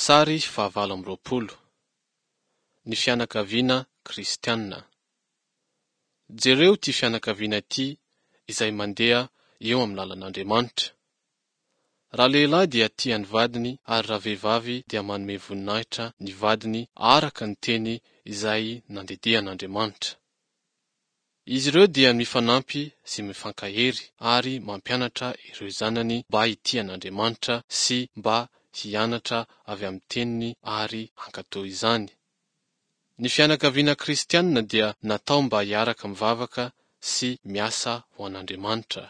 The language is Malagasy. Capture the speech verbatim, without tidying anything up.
Sary fahavalo amby roapolo. Ny fianakaviana kristiana. Jereo ity fianakaviana ity izay mandeha eo amin'ny lalan'Andriamanitra. Ralehilahy dia tia ny vadiny ary ravehivavy dia manome voninahitra ny vadiny araka ny teny izay nandidian'Andriamanitra. Izy ireo dia mifanampy sy mifankahery ary mampianatra ireo zanany mba hitia an'Andriamanitra sy mba hianatra avy amin'ny teniny ary hankatò izany. Ny fianakaviana kristianina dia natao mba hiaraka mivavaka sy miasa ho an'Andriamanitra.